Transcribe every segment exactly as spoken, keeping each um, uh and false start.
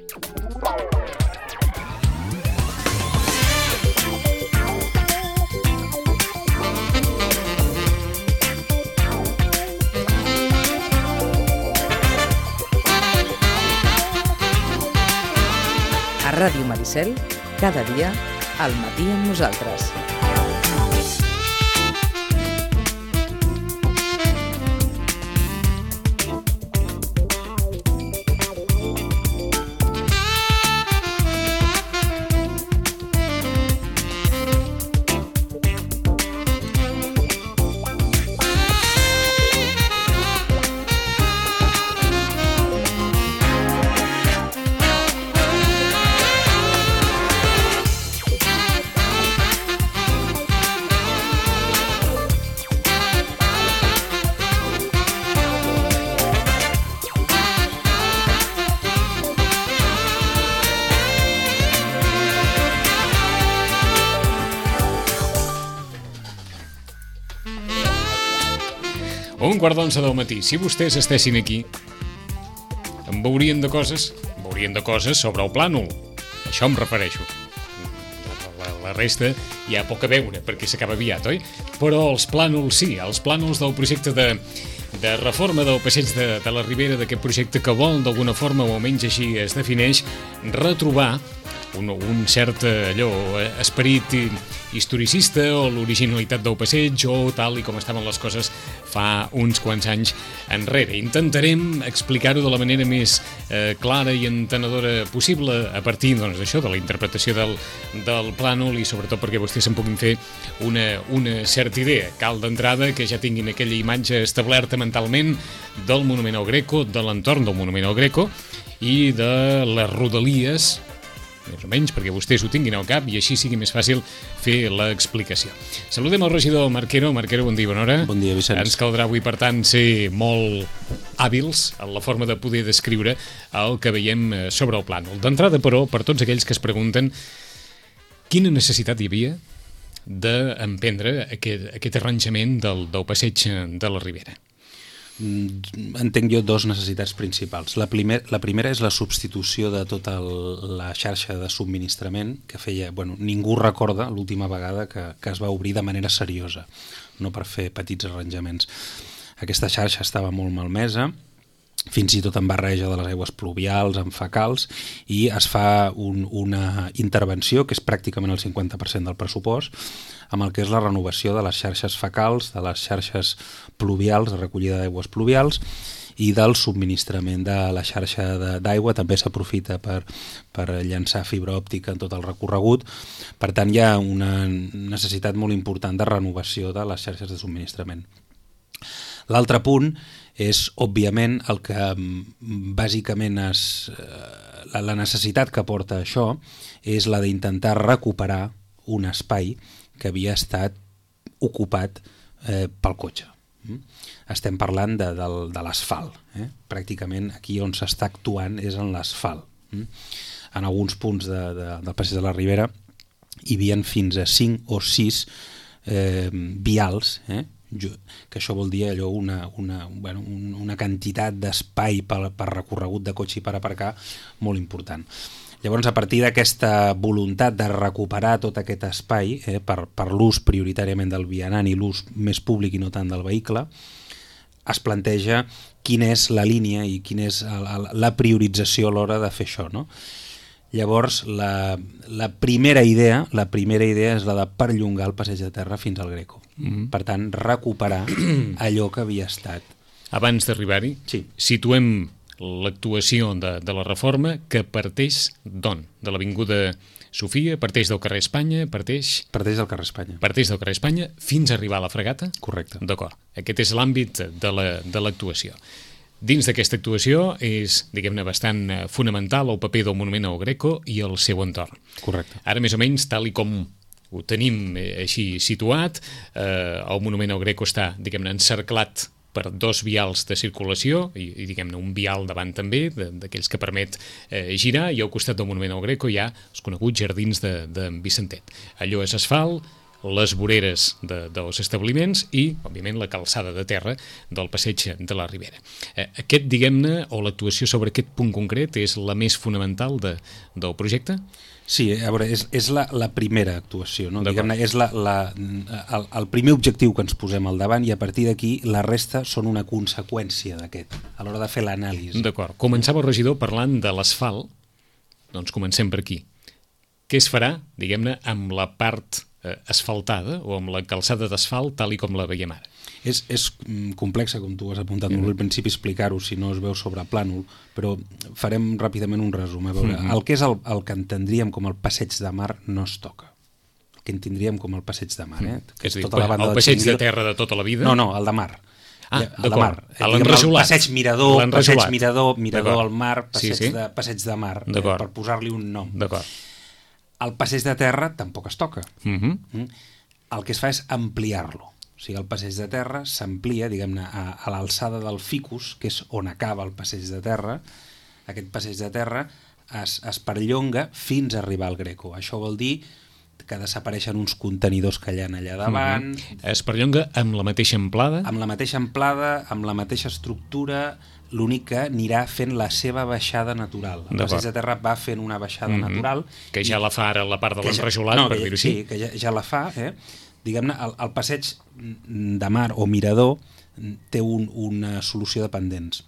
A Ràdio Maricel, cada dia, al matí amb nosaltres. Un quart d'onze del matí. Si vostès estessin aquí, em veurien de coses, em veurien de coses sobre el plànol. Això em refereixo. La, la resta hi ha poc a veure, perquè s'acaba aviat, oi? Però els plànols sí, els plànols del projecte de, de reforma del passeig de, de la Ribera, d'aquest projecte que vol, d'alguna forma, o almenys així es defineix, retrobar un, un cert allò, esperit historicista o l'originalitat del passeig o tal i com estaven les coses fa uns quants anys enrere. Intentarem explicar-ho de la manera més eh, clara i entenedora possible a partir doncs, d'això, de la interpretació del, del plànol i sobretot perquè vostès se'n puguin fer una, una certa idea. Cal d'entrada que ja tinguin aquella imatge establerta mentalment del Monument al Greco, de l'entorn del Monument al Greco i de les rodalies, més o menys, perquè vostès ho tinguin al cap i així sigui més fàcil fer l'explicació. Saludem el regidor Marquero. Marquero, bon dia, bona hora. Bon dia, Vicenç. Ens caldrà avui, per tant, ser molt hàbils en la forma de poder descriure el que veiem sobre el plànol. D'entrada, però, per tots aquells que es pregunten quina necessitat hi havia d'emprendre aquest, aquest arranjament del, del passeig de la Ribera. Entenc jo dos necessitats principals. La, primer, la primera és la substitució de tota el, la xarxa de subministrament que feia, bueno, ningú recorda l'última vegada que, que es va obrir de manera seriosa, no per fer petits arranjaments. Aquesta xarxa estava molt malmesa, fins i tot en barreja de les aigües pluvials, amb fecals, i es fa un, una intervenció, que és pràcticament el cinquanta per cent del pressupost, amb el que és la renovació de les xarxes fecals, de les xarxes pluvials, de recollida d'aigües pluvials, i del subministrament de la xarxa d'aigua. També s'aprofita per, per llançar fibra òptica en tot el recorregut. Per tant, hi ha una necessitat molt important de renovació de les xarxes de subministrament. L'altre punt és, òbviament, el que bàsicament és, la, la necessitat que porta això és la d'intentar recuperar un espai que havia estat ocupat eh, pel cotxe. Estem parlant de, de, de l'asfalt. Eh? Pràcticament aquí on s'està actuant és en l'asfalt. En alguns punts de, de, del passeig de la Ribera hi havia fins a cinc o sis eh, vials, eh? que això vol dir allò una, una, bueno, una quantitat d'espai per, per recorregut de cotxe i per aparcar molt important. Llavors, a partir d'aquesta voluntat de recuperar tot aquest espai eh, per, per l'ús prioritàriament del vianant i l'ús més públic i no tant del vehicle, es planteja quina és la línia i quina és la, la priorització a l'hora de fer això, no? Llavors, la, la primera idea la primera idea és la de perllongar el passeig de terra fins al Greco. Mm-hmm. Per tant, recuperar allò que havia estat. Abans d'arribar-hi, sí. Situem l'actuació de, de la reforma que parteix d'on? De l'Avinguda Sofia, parteix del carrer Espanya, parteix... Parteix del carrer Espanya. Parteix del carrer Espanya fins a arribar a la Fregata? Correcte. D'acord. Aquest és l'àmbit de la, de l'actuació. Dins d'aquesta actuació és, diguem-ne, bastant fonamental el paper del Monument al Greco i el seu entorn. Correcte. Ara, més o menys, tal i com ho tenim així situat, eh, el Monument al Greco està, diguem-ne, encerclat per dos vials de circulació i, i diguem-ne, un vial davant també, d'aquells que permet eh, girar, i al costat del Monument al Greco hi ha els coneguts jardins de, de Vicentet. Allò és asfalt, les voreres de, dels establiments i, òbviament, la calçada de terra del passeig de la Ribera. Eh, aquest, diguem-ne, o l'actuació sobre aquest punt concret és la més fonamental de, del projecte? Sí, a veure, és, és la, la primera actuació, no? Diguem-ne, és la, la, el, el primer objectiu que ens posem al davant i a partir d'aquí la resta són una conseqüència d'aquest, a l'hora de fer l'anàlisi. D'acord. Començava el regidor parlant de l'asfalt, doncs comencem per aquí. Què es farà, diguem-ne, amb la part eh, asfaltada o amb la calçada d'asfalt tal i com la veiem ara? És, és complexa, com tu has apuntat molt al principi, explicar-ho si no es veu sobre plànol, però farem ràpidament un resum. A veure, mm-hmm. el que és el, el que entendríem com el passeig de mar no es toca. El que entendríem com el passeig de mar, eh? Que és dir, tota la banda el passeig de terra de tota la vida? No, no, el de mar. Ah, el de mar. L'enrajolat. Passeig mirador, passeig mirador, mirador al mar, passeig, sí, sí. De, passeig de mar, eh, per posar-li un nom. D'acord. El passeig de terra tampoc es toca. Mm-hmm. Mm? El que es fa és ampliar-lo. O sigui, el passeig de terra s'amplia, diguem-ne, a, a l'alçada del ficus, que és on acaba el passeig de terra. Aquest passeig de terra es, es perllonga fins a arribar al Greco. Això vol dir que desapareixen uns contenidors que hi ha allà davant. Mm-hmm. Es perllonga amb la mateixa amplada? Amb la mateixa amplada, amb la mateixa estructura, l'únic que anirà fent la seva baixada natural. El passeig de terra va fent una baixada mm-hmm. natural. Que ja i, la fa ara la part de l'enrajolat, ja, no, per dir-ho així. Sí, que ja, ja la fa, eh? Diguem-ne, el, el passeig de mar o mirador té un, una solució de pendents.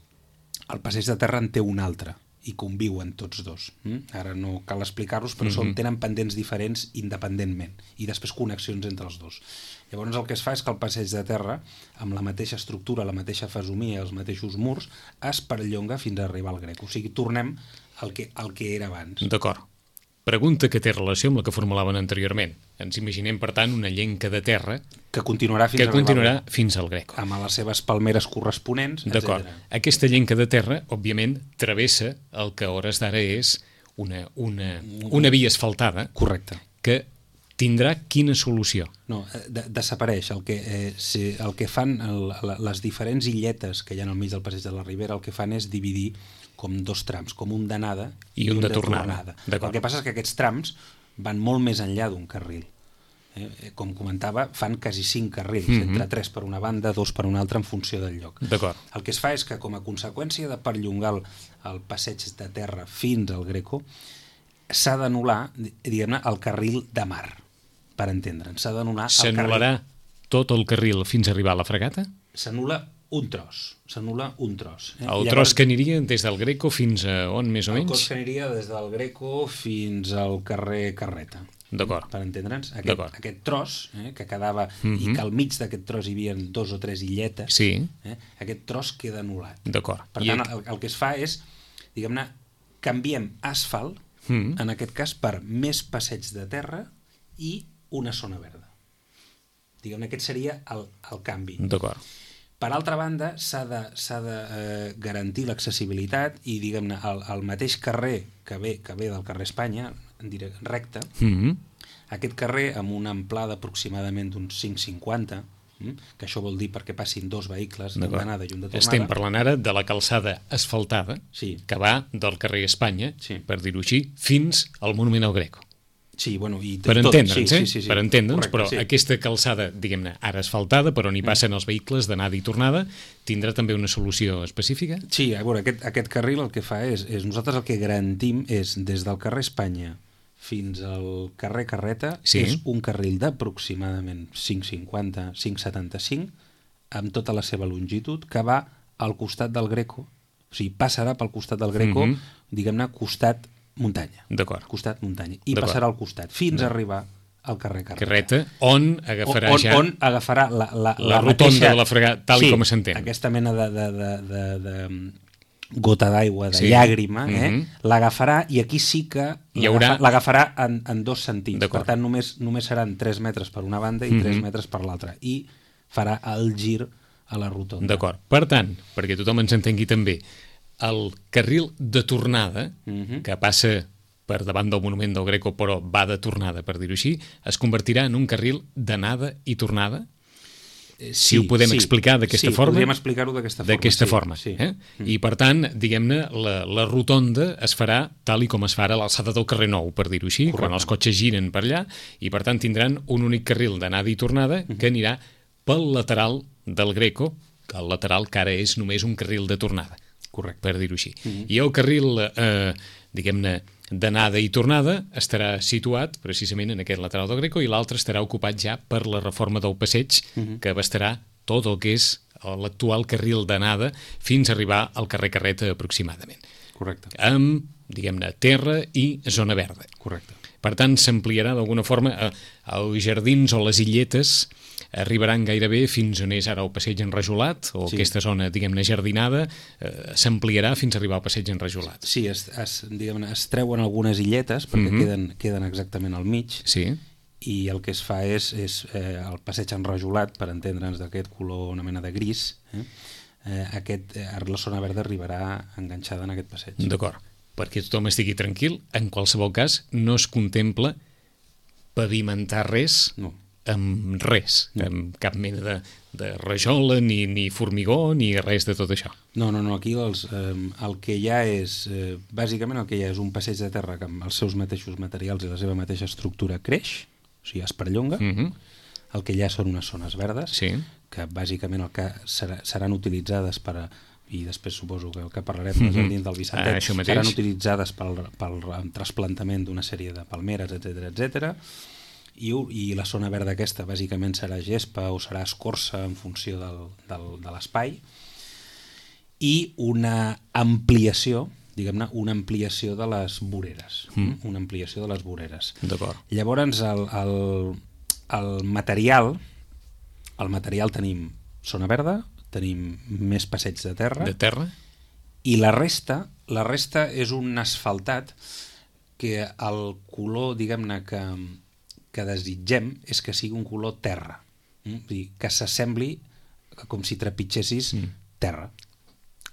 El passeig de terra en té un altre i conviuen tots dos. Mm? Ara no cal explicar-los, però mm-hmm. són, tenen pendents diferents independentment i després connexions entre els dos. Llavors el que es fa és que el passeig de terra, amb la mateixa estructura, la mateixa fesomia, els mateixos murs, es perllonga fins a arribar al Greco. O sigui, tornem al que, al que era abans. D'acord. Pregunta que té relació amb la que formulaven anteriorment. Ens imaginem, per tant, una llenca de terra que continuarà fins, que continuarà fins al Greco. Amb les seves palmeres corresponents, etcètera. D'acord. Aquesta llenca de terra, òbviament, travessa el que a hores d'ara és una, una, una via asfaltada. Correcte. Que tindrà quina solució? No, de, desapareix. El que, eh, si, el que fan el, les diferents illetes que hi ha al mig del passeig de la Ribera, el que fan és dividir com dos trams, com un d'anada i, i un, un de, de tornada. tornada. El que passa és que aquests trams van molt més enllà d'un carril. Eh? Com comentava, fan quasi cinc carrils, mm-hmm. entre tres per una banda, dos per una altra, en funció del lloc. El que es fa és que, com a conseqüència de perllongar el, el passeig de terra fins al Greco, s'ha d'anul·lar, diguem-ne, el carril de mar, per entendre'ns. S'ha d'anul·lar el carril... S'anul·larà tot el carril fins a arribar a la fregata? S'anul·la un tros, s'anul·la un tros. Eh? El Llavors, tros que aniria des del Greco fins a on, més o menys? El tros que aniria des del Greco fins al carrer Carreta. D'acord. Per entendre'ns, aquest, aquest tros, eh, que quedava, mm-hmm. i que al mig d'aquest tros hi havia dos o tres illetes, sí. eh, aquest tros queda anul·lat. D'acord. Per I tant, el, el que es fa és, diguem-ne, canviem asfalt, mm-hmm. en aquest cas, per més passeig de terra i una zona verda. Diguem-ne, aquest seria el, el canvi. D'acord. Per altra banda, s'ha de, s'ha de eh, garantir l'accessibilitat i, diguem-ne, el, el mateix carrer que ve, que ve del carrer Espanya, en directe, recte, mm-hmm. aquest carrer amb una amplada aproximadament d'uns cinc coma cinquanta, mm, que això vol dir perquè passin dos vehicles, un d'anada i un de tornada. Estem parlant ara de la calçada asfaltada, sí. que va del carrer Espanya, sí. per dir-ho així, fins al Monument al Greco. Sí, bueno, i per tot, entendre'ns, sí, eh? Sí, sí, sí. Per entendre'ns, Correcte, però sí. aquesta calçada, diguem-ne, ara asfaltada, per on hi passen els vehicles d'anada i tornada, tindrà també una solució específica? Sí, a veure, aquest, aquest carril el que fa és, és, nosaltres el que garantim és, des del carrer Espanya fins al carrer Carreta, sí. és un carril d'aproximadament cinc coma cinquanta, cinc coma setanta-cinc, amb tota la seva longitud, que va al costat del Greco, o sigui, passarà pel costat del Greco, mm-hmm. diguem-ne, costat muntanya. D'acord. Costat muntanya. I passarà al costat, fins a arribar al carrer Carreta. Carreta, on agafarà on, ja... On agafarà la, la, la, la rotonda mateixa... de la fregata, tal sí, com s'entén. Aquesta mena de, de, de, de, de gota d'aigua, de sí. llàgrima, eh? Mm-hmm. l'agafarà i aquí sí que haurà... l'agafarà en, en dos sentits. Per tant, només, només seran tres metres per una banda i mm-hmm. tres metres per l'altra. I farà el gir a la rotonda. D'acord. Per tant, perquè tothom ens entengui també, el carril de tornada, mm-hmm. que passa per davant del Monument del Greco, però va de tornada, per dir-ho així, es convertirà en un carril d'anada i tornada? Sí, si ho podem sí, explicar d'aquesta sí, forma. Sí, podríem explicar-ho d'aquesta forma. D'aquesta sí, forma. Sí. Eh? Mm. I, per tant, diguem-ne, la, la rotonda es farà tal i com es farà a l'alçada del carrer Nou, per dir-ho així, correcte, quan els cotxes giren per allà, i, per tant, tindran un únic carril d'anada i tornada mm. que anirà pel lateral del Greco, el lateral que ara és només un carril de tornada. Correcte. Per dir-ho així. Mm. I el carril, eh, diguem-ne, d'anada i tornada estarà situat precisament en aquest lateral del Greco i l'altre estarà ocupat ja per la reforma del passeig uh-huh. que abastarà tot el que és l'actual carril d'anada fins a arribar al carrer Carreta aproximadament. Correcte. Amb, diguem-ne, terra i zona verda. Correcte. Per tant, s'ampliarà d'alguna forma eh, els jardins o les illetes arribaran gairebé fins on és ara el passeig enrajolat o sí. aquesta zona, diguem-ne, jardinada eh, s'ampliarà fins a arribar al passeig enrajolat. Sí, es, es, diguem-ne, es treuen algunes illetes perquè mm-hmm. queden, queden exactament al mig sí. i el que es fa és, és eh, el passeig enrajolat, per entendre'ns, d'aquest color, una mena de gris, eh? Eh, aquest, eh, la zona verda arribarà enganxada en aquest passeig. D'acord, perquè tothom estigui tranquil, en qualsevol cas no es contempla pavimentar res no. amb res, no. amb cap mena de, de rajola, ni, ni formigó, ni res de tot això. No, no, no, aquí els, eh, el que hi ha és, eh, bàsicament el que hi ha és un passeig de terra que amb els seus mateixos materials i la seva mateixa estructura creix, o sigui, es perllonga, mm-hmm. el que hi ha són unes zones verdes, sí. que bàsicament el que serà, seran utilitzades per a, i després suposo que el que parlarem mm-hmm. dels jardins del Vicentet, ah, seran utilitzades pel, pel trasplantament d'una sèrie de palmeres, etcètera, etcètera. I, i la zona verda aquesta bàsicament serà gespa o serà escorça en funció del, del, de l'espai i una ampliació, diguem-ne, una ampliació de les voreres. Mm. Una ampliació de les voreres. D'acord. Llavors, el, el, el material, el material tenim zona verda, tenim més passeig de terra. De terra. I la resta, la resta és un asfaltat que el color, diguem-ne, que que desitgem és que sigui un color terra, mm? Vull dir, que s'assembli com si trepitgessis mm. terra.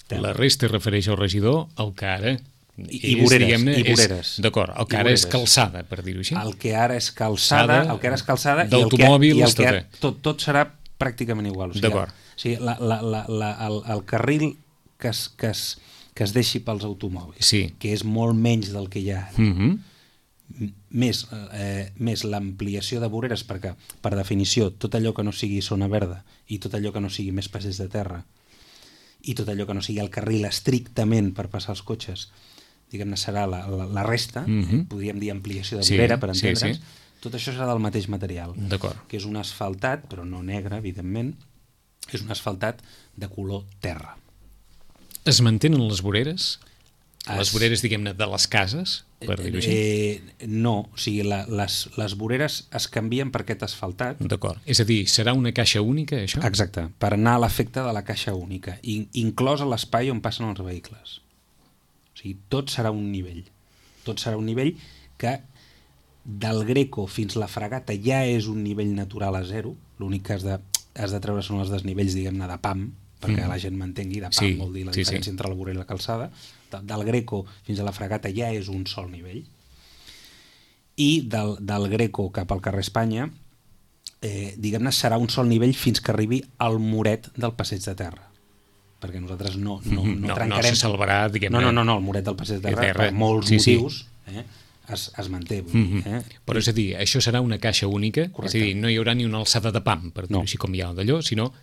terra. La resta refereix al regidor, el que ara I, i voreres, i voreres. D'acord, el que ara és calçada, per dir-ho així. El que ara és calçada, el que ara és calçada d'automòbils, i el que, i el que tot, tot serà pràcticament igual. O sigui, d'acord. O sigui, la, la, la, la, el, el carril que es, que, es, que es deixi pels automòbils, sí. que és molt menys del que hi ha ara, mm-hmm. més, eh, més l'ampliació de voreres, perquè per definició tot allò que no sigui zona verda i tot allò que no sigui més passeig de terra i tot allò que no sigui el carril estrictament per passar els cotxes, diguem-ne, serà la, la, la resta, mm-hmm. eh, podríem dir ampliació de vorera, sí, per entendre'ns, sí, sí. Tot això serà del mateix material, que és un asfaltat, però no negre, evidentment, és un asfaltat de color terra. Es mantenen les voreres? Les voreres, diguem-ne, de les cases, per dir-ho així? Eh, no, o sigui, la, les, les voreres es canvien per aquest asfaltat. D'acord. És a dir, serà una caixa única, això? Exacte, per anar a l'efecte de la caixa única, in, inclòs a l'espai on passen els vehicles. O sigui, tot serà un nivell. Tot serà un nivell que del Greco fins la Fragata ja és un nivell natural a zero, l'únic que has de, has de treure són els desnivells, diguem-ne, de P A M, perquè mm. la gent m'entengui, de P A M sí, vol dir la sí, diferència sí. entre la vorera i la calçada. Del Greco fins a la Fragata ja és un sol nivell i del, del Greco cap al carrer Espanya eh, diguem-ne serà un sol nivell fins que arribi al muret del passeig de terra, perquè nosaltres no, no, no, no trencarem no se salvarà, diguem-ne, no, no, no, no, el muret del passeig de terra, terra. per molts sí, motius sí. eh, es, es manté, vull dir, eh? Però és a dir, això serà una caixa única. Correcte. És a dir, no hi haurà ni una alçada de P A M, per dir-ho no. així com hi ha d'allò, sinó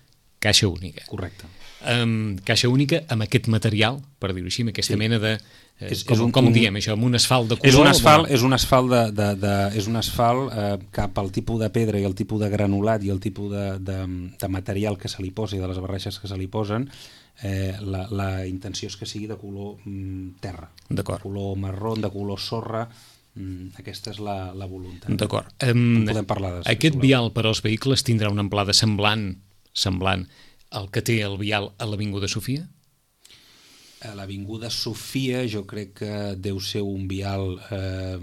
caixa única. Correcte. Um, caixa única amb aquest material, per dir-ho així, amb aquesta sí. mena de... Eh, és, com és un, com un, diem això? Amb un asfalt de color? És un asfalt, de... és un asfalt, de, de, de, és un asfalt eh, cap al tipus de pedra i el tipus de granulat i el tipus de, de, de material que se li posa i de les barreixes que se li posen, eh, la, la intenció és que sigui de color mm, terra. D'acord. De color marró, de color sorra. Mm, aquesta és la, la voluntat. D'acord. Um, podem parlar de aquest vial per als vehicles tindrà una amplada semblant, semblant el que té el vial a l'Avinguda Sofia? A l'Avinguda Sofia jo crec que deu ser un vial eh,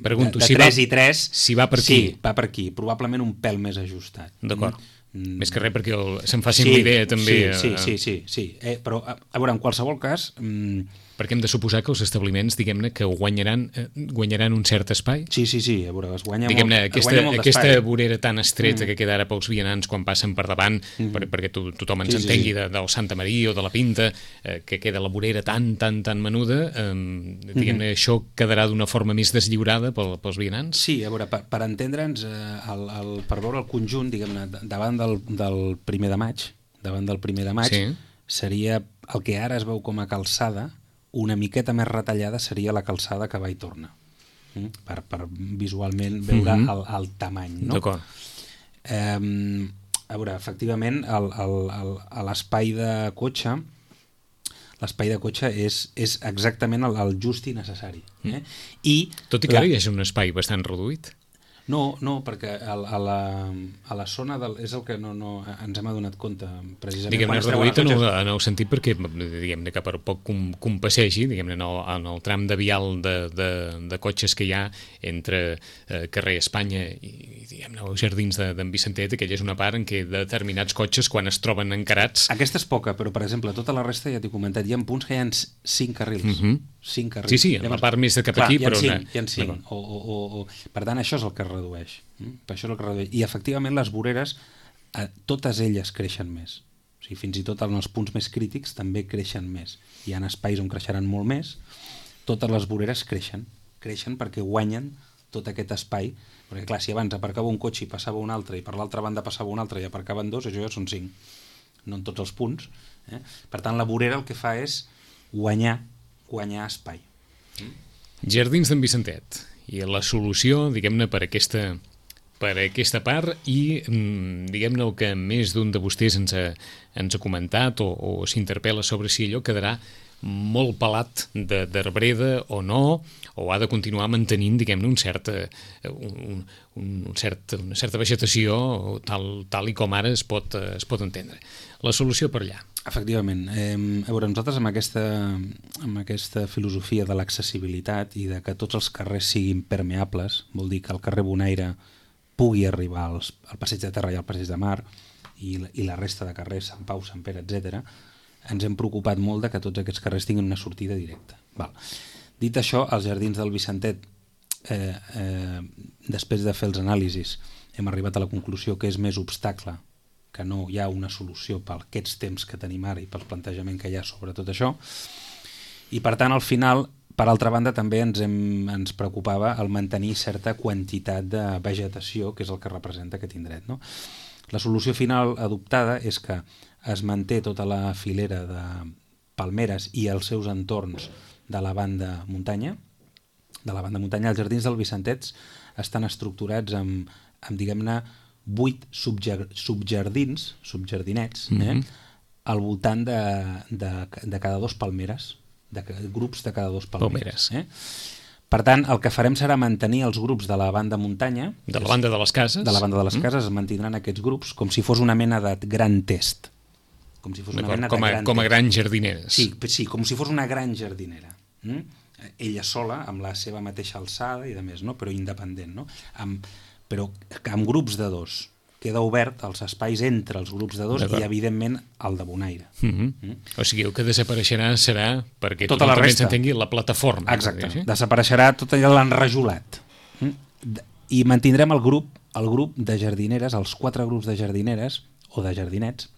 Pregunto, de, de si tres va, i tres. Si va per aquí. Sí, va per aquí. Probablement un pèl més ajustat. D'acord. Mm. Més que res perquè el, se'n facin sí, l'idea també. Sí, sí, sí. sí, sí. Eh, però, a, a veure, en qualsevol cas... Mm, Perquè hem de suposar que els establiments, diguem-ne, que guanyaran, eh, guanyaran un cert espai. Sí, sí, sí, a veure, es guanya diguem-ne, molt, aquesta, guanya molt aquesta d'espai. vorera tan estreta mm. que queda ara pels vianants quan passen per davant, Mm. per, perquè to, tothom ens Sí, sí, entengui sí. de, del Santa Maria o de la Pinta, eh, que queda la vorera tan, tan, tan menuda, eh, diguem-ne, mm. això quedarà d'una forma més deslliurada pel, pels vianants? Sí, a veure, per, per entendre'ns, eh, el, el, per veure el conjunt, diguem-ne, davant del, del primer de maig, davant del primer de maig, Sí. seria el que ara es veu com a calçada, una miqueta més retallada seria la calçada que va i torna, mm? per, per visualment veure Mm-hmm. el, el tamany, no? D'acord. Eh, a veure, efectivament, el, el, el, a l'espai de cotxe, l'espai de cotxe és, és exactament el, el just i necessari. Eh? I Tot i que la... ara hi és un espai bastant reduït. No, no, perquè a, a, la, a la zona del, és el que no, no ens hem adonat compte precisament. Diguem-ne, quan es treuen reduït en el, cotxes. en el sentit perquè, diguem-ne, que per poc com, com passegi, diguem-ne, en, el, en el tram de vial de, de, de cotxes que hi ha entre eh, carrer Espanya i, i diguem-ne, els jardins d'en de, Vicentet, aquella és una part en què determinats cotxes, quan es troben encarats... Aquesta és poca, però, per exemple, tota la resta, ja t'he comentat, hi ha punts que hi ha cinc carrils. Mhm. cinc carrils. Sí, sí, en la part més de cap Clar, aquí, hi ha però... cinc, una- hi ha cinc. O, o, o, o... Per tant, això és el que es redueix. Mm? Per això és el que es redueix. I, efectivament, les voreres, eh, totes elles creixen més. O sigui, fins i tot en els punts més crítics també creixen més. Hi ha espais on creixeran molt més. Totes les voreres creixen. Creixen perquè guanyen tot aquest espai. Perquè, clar, si abans aparcava un cotxe i passava un altre, i per l'altra banda passava un altre i aparcaven dos, això ja són cinc. No en tots els punts. Eh? Per tant, la vorera el que fa és guanyar, guanyar espai. Jardins d'en Vicentet. I la solució, diguem-ne, per aquesta, per aquesta part i, mm, diguem-ne, el que més d'un de vostès ens ha, ens ha comentat o, o s'interpel·la sobre si allò quedarà molt pelat de- d'arbreda o no, o ha de continuar mantenint, diguem-ne, un cert, eh, un, un, un cert, una certa vegetació tal, tal i com ara es pot, eh, es pot entendre. La solució per allà. Efectivament. Eh, a veure, nosaltres amb aquesta, amb aquesta filosofia de l'accessibilitat i de que tots els carrers siguin permeables, vol dir que el carrer Bonaire pugui arribar als, al passeig de Terra i al passeig de Mar i, la- i la resta de carrers, Sant Pau, Sant Pere, etcètera, ens hem preocupat molt de que tots aquests carrers tinguin una sortida directa. Val. Dit això, als jardins del Vicentet, eh, eh, després de fer els anàlisis, hem arribat a la conclusió que és més obstacle, que no hi ha una solució per aquests temps que tenim ara i pel plantejament que hi ha sobre tot això, i per tant al final, per altra banda, també ens, hem, ens preocupava el mantenir certa quantitat de vegetació, que és el que representa aquest indret, no? La solució final adoptada és que es manté tota la filera de palmeres i els seus entorns de la banda muntanya. De la banda muntanya, els jardins del Vicentets estan estructurats amb, amb diguem-ne, vuit subjar, subjardins, subjardinets, eh? Mhm. al voltant de, de, de cada dos palmeres, de ca- grups de cada dos palmeres. Palmeres. Eh? Per tant, el que farem serà mantenir els grups de la banda muntanya, De la banda de les cases. de la banda de les cases, es mantindran aquests grups com si fos una mena de gran test. Com si fos una D'acord, mena com, de a, gran com a test. grans jardineres. Sí, sí, com si fos una gran jardinera. Mm? Ella sola, amb la seva mateixa alçada i de més, no? Però independent, no? Amb, però amb grups de dos. Queda obert els espais entre els grups de dos D'acord. i, evidentment, el de Bonaire. Mm-hmm. Mm? O sigui, el que desapareixerà serà, perquè Tota tothom la també resta. s'entengui, la plataforma. Exacte. Sí? Desapareixerà tot allò l'enrajolat. Mm? D- I mantindrem el grup, el grup de jardineres, els quatre grups de jardineres o de jardinets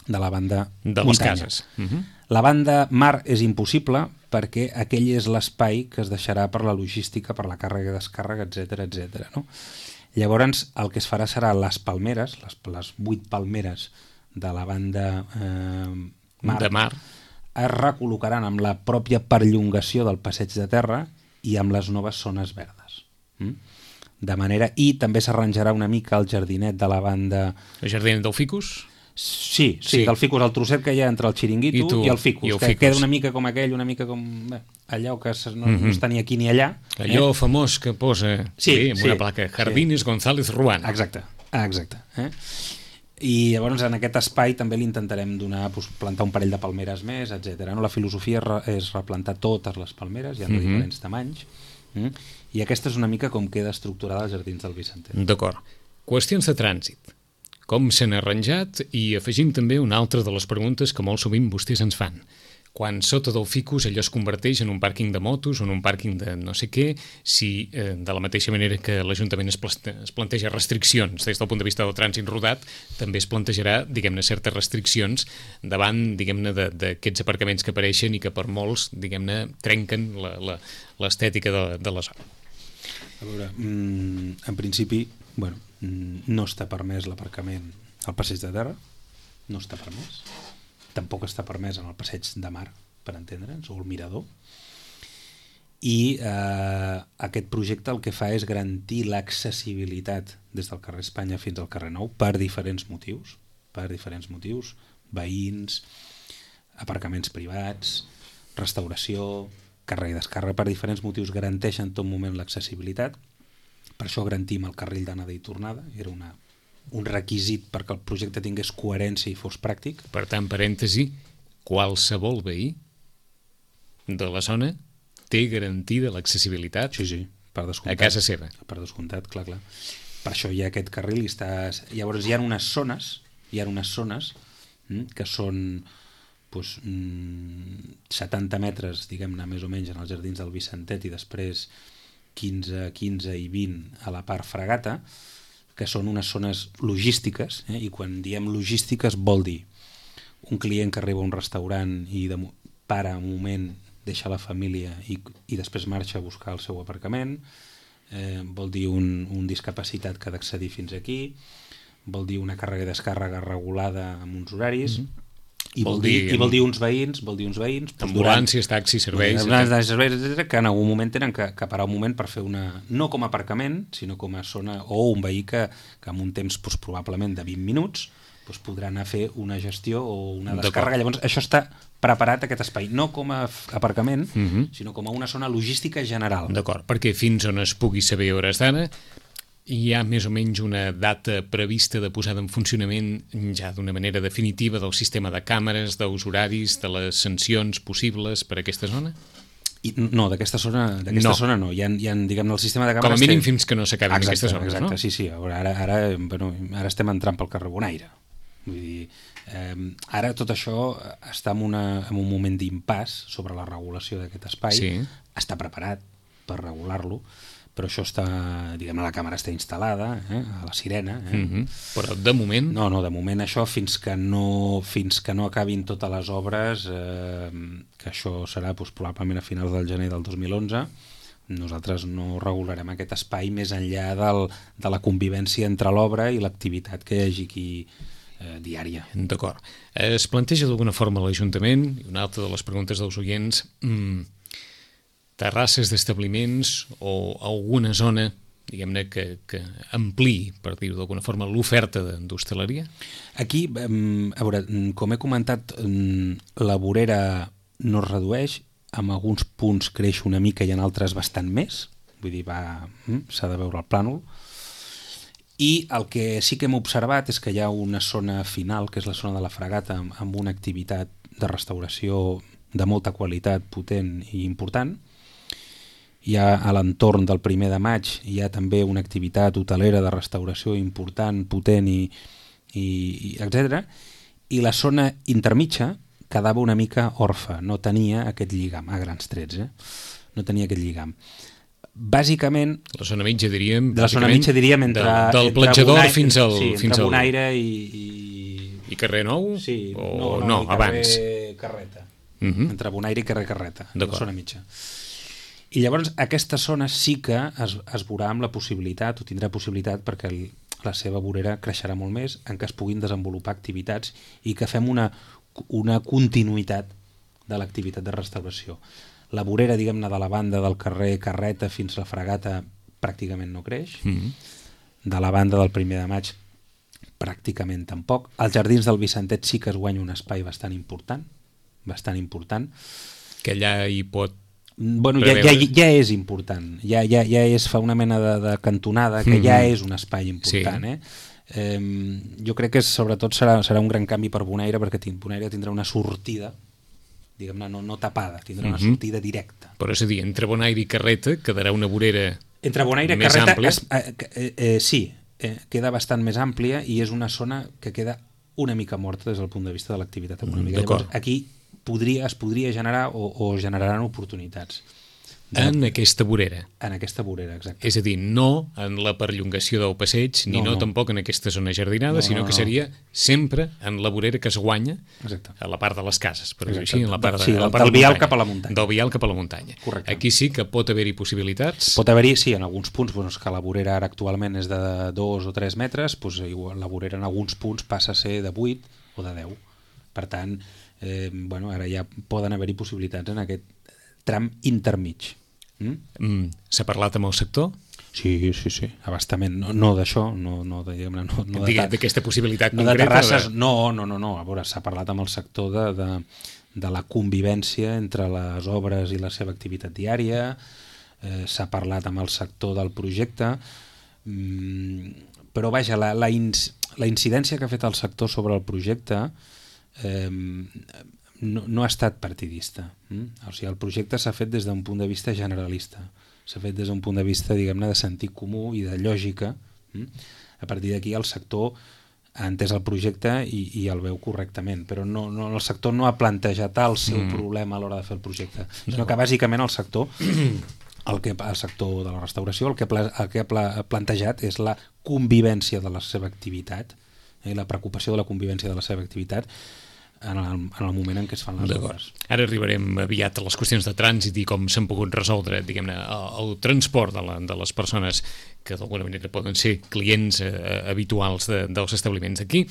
de la banda De les muntanya. cases. Mm-hmm. La banda mar és impossible perquè aquell és l'espai que es deixarà per la logística, per la càrrega i descàrrega, etcètera, etcètera, no? Llavors, el que es farà serà les palmeres, les, les vuit palmeres de la banda eh, mar, De mar. es recol·locaran amb la pròpia perllongació del passeig de terra i amb les noves zones verdes. Mm? De manera, i també s'arranjarà una mica el jardinet de la banda... El jardí del ficus. Sí, sí, Sí. sí, del ficus, el trosset que hi ha entre el xiringuito I tu, i el ficus, i el que ficus. queda una mica com aquell, una mica com bé, allò que no, no Mhm. està ni aquí ni allà. Allò famós que posa Sí, sí, amb sí, una placa, Jardines González Ruano. Exacte, exacte. Eh? I llavors en aquest espai també li intentarem donar, doncs, plantar un parell de palmeres més, etcètera. No? La filosofia és, re, és replantar totes les palmeres, hi ha de Mhm. diferents tamanys, mm? i aquesta és una mica com queda estructurada els jardins del Vicentet. D'acord. Qüestions de trànsit. Com s'han arranjat? I afegim també una altra de les preguntes que molt sovint vostès ens fan. quan sota del ficus allò es converteix en un pàrquing de motos o en un pàrquing de no sé què, si eh, de la mateixa manera que l'Ajuntament es, es planteja restriccions des del punt de vista del trànsit rodat, també es plantejarà, diguem-ne, certes restriccions davant, diguem-ne, d'aquests aparcaments que apareixen i que per molts, diguem-ne, trenquen l'estètica de, de la zona. A veure, en principi, bueno, no està permès l'aparcament al passeig de terra, no està permès. Tampoc està permès en el passeig de mar, per entendre'ns, o el mirador. I eh, aquest projecte el que fa és garantir l'accessibilitat des del carrer Espanya fins al carrer Nou per diferents motius, per diferents motius, veïns, aparcaments privats, restauració, càrrega i descàrrega, per diferents motius garanteixen en tot moment l'accessibilitat. Per això garantim el carril d'anada i tornada, era una un requisit perquè el projecte tingués coherència i fos pràctic. Per tant, parèntesi, qualsevol veí de la zona té garantida l'accessibilitat sí, sí, per descomptat, a casa seva. Per descomptat, clar, clar. Per això hi ha aquest carril i està... Llavors hi ha unes zones, hi ha unes zones hm, que són pues, mm, setanta metres, diguem-ne, més o menys, en els jardins del Vicentet i després quinze, quinze i vint a la part Fragata, que són unes zones logístiques, eh? I quan diem logístiques vol dir un client que arriba a un restaurant i de, para un moment, deixa la família i, i després marxa a buscar el seu aparcament, eh, vol dir un, un discapacitat que ha d'accedir fins aquí, vol dir una càrrega i descàrrega regulada amb uns horaris, mm-hmm. I vol, vol dir, dir, i vol dir uns veïns, vol dir uns veïns... Ambulàncies, taxis, serveis... Ambulàncies, serveis, etcètera, que en algun moment tenen que, que parar un moment per fer una... No com a aparcament, sinó com a zona... O un veí que, que en un temps doncs, probablement de vint minuts doncs, podrà anar a fer una gestió o una descàrrega. Llavors, això està preparat, aquest espai, no com a aparcament, uh-huh. sinó com a una zona logística general. D'acord, perquè fins on es pugui saber hores d'ara hi ha més o menys una data prevista de posada en funcionament ja d'una manera definitiva del sistema de càmeres, dels horaris, de les sancions possibles per a aquesta zona? I, no, d'aquesta zona, d'aquesta no. zona no. Hi ha, hi ha, diguem-ne, el sistema de càmeres... Com a mínim té... fins que no s'acabin aquestes zones, exacte, no? Exacte, sí, sí. Ara, ara, bueno, ara estem entrant pel carrer Bonaire. Vull dir, eh, ara tot això està en, una, en un moment d'impàs sobre la regulació d'aquest espai. Sí. Està preparat per regular-lo, però això està, diguem, la càmera està instal·lada, eh, a la Sirena. Eh? Mm-hmm. Però de moment... No, no, de moment això fins que no, fins que no acabin totes les obres, eh, que això serà doncs, probablement a finals del gener del dos mil onze, nosaltres no regularem aquest espai més enllà del, de la convivència entre l'obra i l'activitat que hi hagi aquí eh, diària. D'acord. Es planteja d'alguna forma l'Ajuntament, i una altra de les preguntes dels oients... Mmm, terrasses d'establiments o alguna zona, diguem-ne, que, que ampliï, per dir-ho d'alguna forma, l'oferta d'hostaleria? Aquí, a veure, com he comentat, la vorera no es redueix, en alguns punts creix una mica i en altres bastant més, vull dir, va, s'ha de veure el plànol, i el que sí que hem observat és que hi ha una zona final, que és la zona de la Fragata, amb una activitat de restauració de molta qualitat, potent i important. Hi ha a l'entorn del primer de maig, hi ha també una activitat hotelera de restauració important, potent i, i, i etcètera. I la zona intermitja quedava una mica orfa, no tenia aquest lligam, a grans trets, eh? No tenia aquest lligam. Bàsicament... La zona mitja diríem... De la zona mitja diríem entre... De, del platjador Bonaire, fins al... Sí, fins entre al... Bonaire i, i... I carrer Nou? Sí, o... no, no, no i carrer abans. Carreta. Uh-huh. Entre Bonaire i carrer Carreta, la zona mitja. I llavors aquesta zona sí que es, es veurà amb la possibilitat, o tindrà possibilitat, perquè el, la seva vorera creixerà molt més, en què es puguin desenvolupar activitats i que fem una, una continuïtat de l'activitat de restauració. La vorera, diguem-ne, de la banda del carrer Carreta fins a la Fragata pràcticament no creix. Mm-hmm. De la banda del primer de maig pràcticament tampoc. Als jardins del Vicentet sí que es guanya un espai bastant important, bastant important. Que allà hi pot... Bueno, ja, ja, ja és important, ja, ja, ja és, fa una mena de, de cantonada que mm-hmm. ja és un espai important. Sí. Eh? Eh, jo crec que sobretot serà, serà un gran canvi per Bonaire, perquè Bonaire tindrà una sortida, diguem-ne, no, no tapada, tindrà mm-hmm. una sortida directa. Però és a dir, entre Bonaire i Carreta quedarà una vorera entre Bonaire i més Carreta, àmplia? Es, eh, eh, sí, eh, queda bastant més àmplia i és una zona que queda una mica morta des del punt de vista de l'activitat econòmica. Mm, Llavors, aquí podria, es podria generar o, o generaran oportunitats. De, en aquesta vorera. En aquesta vorera, exacte. És a dir, no en la perllongació del passeig, ni no, no, no tampoc en aquesta zona jardinada, no, sinó no, no. que seria sempre en la vorera que es guanya exacte. A la part de les cases, per dir-ho així, en la part, de, sí, la part del vial cap a la muntanya. Del vial cap a la muntanya. Correcte. Aquí sí que pot haver-hi possibilitats. Pot haver-hi, sí, en alguns punts, doncs, que la vorera ara actualment és de dos o tres metres, doncs, la vorera en alguns punts passa a ser de vuit o de deu. Per tant, eh, bueno, ara ja poden haver-hi possibilitats en aquest tram intermig. Mm? Mm, s'ha parlat amb el sector? Sí, sí, sí, abastament. No, no d'això, no, no, diguem-ne, no, no de d'aquesta possibilitat no concreta. De terrasses, de... no, no, no, no. A veure, s'ha parlat amb el sector de, de, de la convivència entre les obres i la seva activitat diària, eh, s'ha parlat amb el sector del projecte, mm, però vaja, la, la, ins, la incidència que ha fet el sector sobre el projecte eh, No, no ha estat partidista. Mm? O sigui, el projecte s'ha fet des d'un punt de vista generalista. S'ha fet des d'un punt de vista, diguem-ne, de sentit comú i de lògica. Mm? A partir d'aquí el sector ha entès el projecte i, i el veu correctament, però no, no, el sector no ha plantejat el seu mm. problema a l'hora de fer el projecte, sinó no. que bàsicament el sector el, que, el sector de la restauració el que, el que ha plantejat és la convivència de la seva activitat, eh, la preocupació de la convivència de la seva activitat en el, en el moment en què es fan les obres. Ara arribarem aviat a les qüestions de trànsit i com s'han pogut resoldre, diguem-ne, el, el transport de, la, de les persones que d'alguna manera poden ser clients eh, habituals de, dels establiments d'aquí.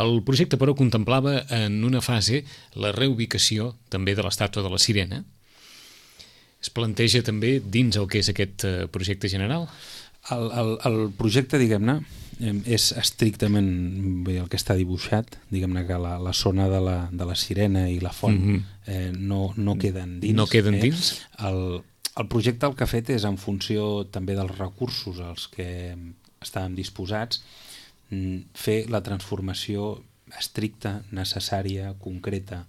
El projecte, però, contemplava en una fase la reubicació també de l'estàtua de la Sirena. Es planteja també dins el que és aquest eh, projecte general? El, el, el projecte, diguem-ne, és estrictament bé, el que està dibuixat, diguem-ne que la, la zona de la, de la Sirena i la font mm-hmm. eh, no, no queden dins. No queden eh? dins? El, el projecte el que ha fet és en funció també dels recursos als que estàvem disposats fer la transformació estricta, necessària, concreta.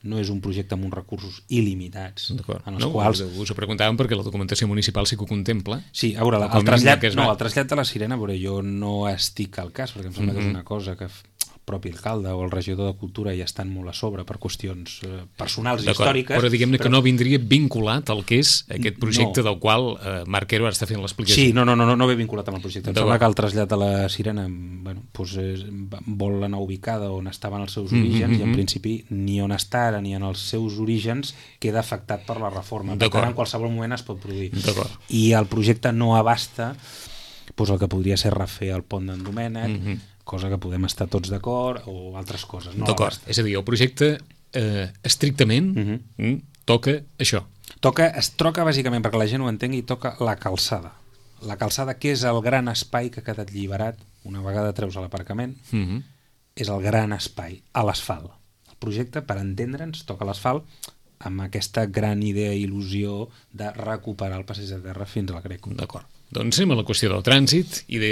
No és un projecte amb uns recursos il·limitats. En els no, quals... us ho preguntàvem perquè la documentació municipal sí que ho contempla. Sí, a veure, el, el, trasllat, no, el trasllat de la Sirena, a veure, jo no estic al cas, perquè em sembla mm-hmm. que és una cosa que el propi alcalde o el regidor de Cultura ja estan molt a sobre per qüestions eh, personals i històriques. Però diguem-ne però... que no vindria vinculat al que és aquest projecte no. del qual eh, Marc Quero ara està fent l'explicació. Sí, no, no, no, no ve vinculat amb el projecte. Em sembla que el trasllat de la Sirena bueno, doncs, és, vol anar ubicada on estaven els seus orígens mm-hmm. i en principi ni on està ara ni en els seus orígens queda afectat per la reforma. Per tant, en qualsevol moment es pot produir. I el projecte no abasta doncs, el que podria ser refer el pont d'en Domènec, mm-hmm. cosa que podem estar tots d'acord, o altres coses. No d'acord, és a dir, el projecte eh, estrictament mm-hmm. toca això. Toca, es troca bàsicament, perquè la gent ho entengui, toca la calçada. La calçada, que és el gran espai que ha quedat alliberat, una vegada treus a l'aparcament, mm-hmm. és el gran espai, a l'asfalt. El projecte, per entendre'ns, toca l'asfalt amb aquesta gran idea i il·lusió de recuperar el passeig de terra fins al Greco. D'acord. Doncs anem a la qüestió del trànsit i, de,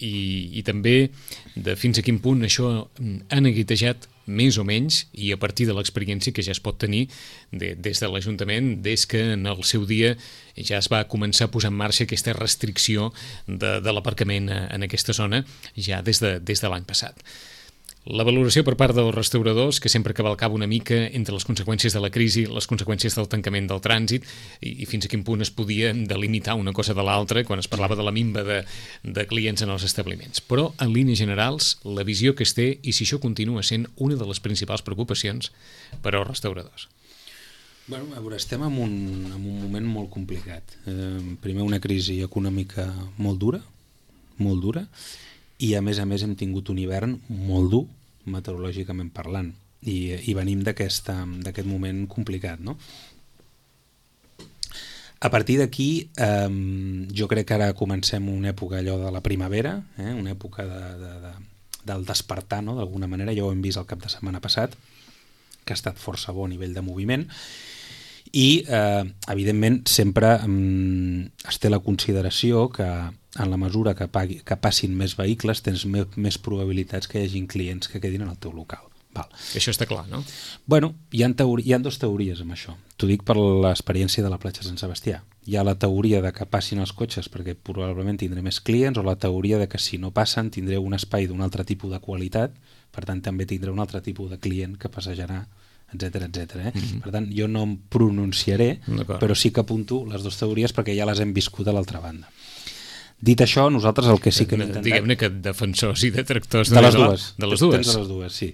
i, i també de fins a quin punt això ha neguitejat més o menys i a partir de l'experiència que ja es pot tenir de, des de l'Ajuntament, des que en el seu dia ja es va començar a posar en marxa aquesta restricció de, de l'aparcament en aquesta zona ja des de, des de l'any passat. La valoració per part dels restauradors, que sempre cavalcava una mica entre les conseqüències de la crisi, les conseqüències del tancament del trànsit i, i fins a quin punt es podia delimitar una cosa de l'altra quan es parlava de la minva de, de clients en els establiments. Però, en línies generals, la visió que es té i si això continua sent una de les principals preocupacions per als restauradors. Bueno, a veure, estem en un, en un moment molt complicat. Eh, primer, una crisi econòmica molt dura, molt dura, i a més a més hem tingut un hivern molt dur, meteorològicament parlant, i, i venim d'aquest moment complicat, no? A partir d'aquí, eh, jo crec que ara comencem una època allò de la primavera, eh, una època de, de, de, del despertar, no? D'alguna manera, ja ho hem vist el cap de setmana passat, que ha estat força bo a nivell de moviment, i eh, evidentment sempre eh, es té la consideració que en la mesura que, pagui, que passin més vehicles tens més, més probabilitats que hi hagin clients que quedin en el teu local. Val. Això està clar, no? Bueno, hi ha, teori, hi ha dues teories amb això. T'ho dic per l'experiència de la platja Sant Sebastià. Hi ha la teoria de que passin els cotxes perquè probablement tindré més clients, o la teoria de que si no passen tindré un espai d'un altre tipus de qualitat, per tant també tindré un altre tipus de client que passejarà etcètera, etcètera. Eh? Mm-hmm. Per tant, jo no em pronunciaré, però sí que apunto les dues teories perquè ja les hem viscut a l'altra banda. Dit això, nosaltres el que sí que hem intentat... Diguem-ne que defensors i detractors... De les dues. De les dues. Tens de les dues, sí.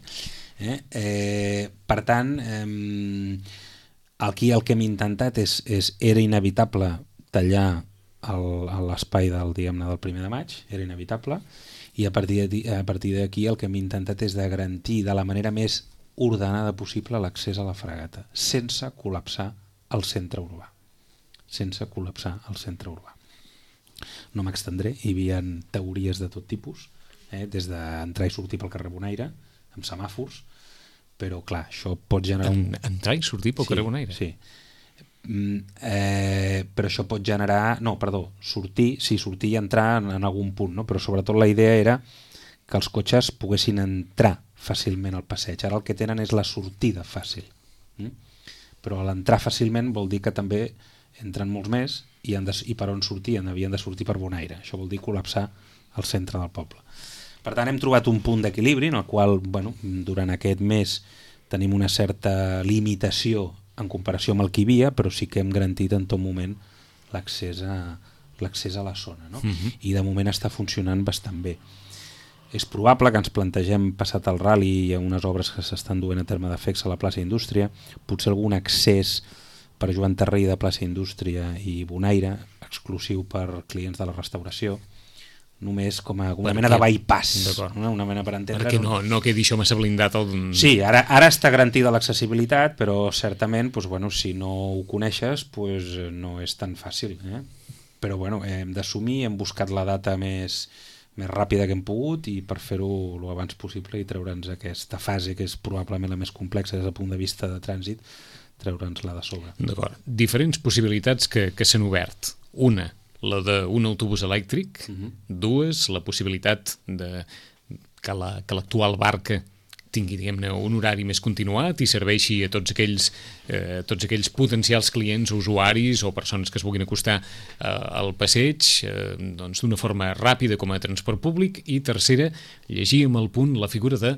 Eh? Eh, per tant, eh, aquí el que hem intentat és, és era inevitable tallar l'espai del, diguem-ne, del primer de maig, era inevitable, i a partir d'aquí el que hem intentat és de garantir de la manera més ordenada possible l'accés a la fragata, sense col·lapsar el centre urbà. Sense col·lapsar el centre urbà. No m'extendré, hi havia teories de tot tipus, eh, des d'entrar i sortir pel carrer Bonaire, amb semàfors, però clar, això pot generar... Un... Entrar i sortir pel sí, carrer Bonaire? Sí, mm, eh, però això pot generar... No, perdó, sortir, sí, sortir i entrar en, en algun punt, no? Però sobretot la idea era que els cotxes poguessin entrar fàcilment al passeig. Ara el que tenen és la sortida fàcil. Mm? Però l'entrar fàcilment vol dir que també entren molts més i, han de, i per on sortien? Havien de sortir per Bonaire. Això vol dir col·lapsar el centre del poble. Per tant, hem trobat un punt d'equilibri en el qual, bueno, durant aquest mes tenim una certa limitació en comparació amb el que hi havia, però sí que hem garantit en tot moment l'accés a, l'accés a la zona, no? Uh-huh. I de moment està funcionant bastant bé. És probable que ens plantegem, passat el rally i unes obres que s'estan duent a terme d'efectes a la plaça Indústria, potser algun accés per Joan Tarré de plaça Indústria i Bonaire, exclusiu per clients de la restauració, només com a una mena de bypass, una, una mena per entendre... Perquè no, no quedi això massa blindat. El... Sí, ara, ara està garantida l'accessibilitat, però certament, doncs, bueno, si no ho coneixes, doncs, no és tan fàcil. Eh? Però bueno, hem d'assumir, hem buscat la data més... més ràpida que hem pogut i per fer-ho el abans possible i treure'ns aquesta fase que és probablement la més complexa des del punt de vista de trànsit, treure'ns-la de sobre. D'acord. Diferents possibilitats que, que s'han obert. Una, la d'un autobús elèctric. Uh-huh. Dues, la possibilitat de que la, que l'actual barca tingui, diguem-ne, un horari més continuat i serveixi a tots aquells, eh, tots aquells potencials clients, usuaris o persones que es vulguin acostar eh, al passeig eh, doncs, d'una forma ràpida com a transport públic. I tercera, llegíem al punt la figura de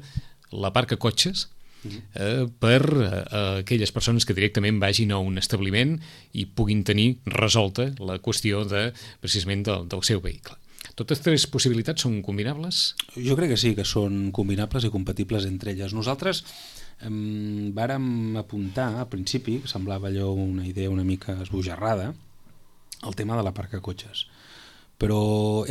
la parca cotxes eh, per eh, aquelles persones que directament vagin a un establiment i puguin tenir resolta la qüestió de, precisament del, del seu vehicle. Totes tres possibilitats són combinables? Jo crec que sí, que són combinables i compatibles entre elles. Nosaltres eh, vàrem apuntar al principi, que semblava allò una idea una mica esbojarrada, el tema de la parca cotxes. Però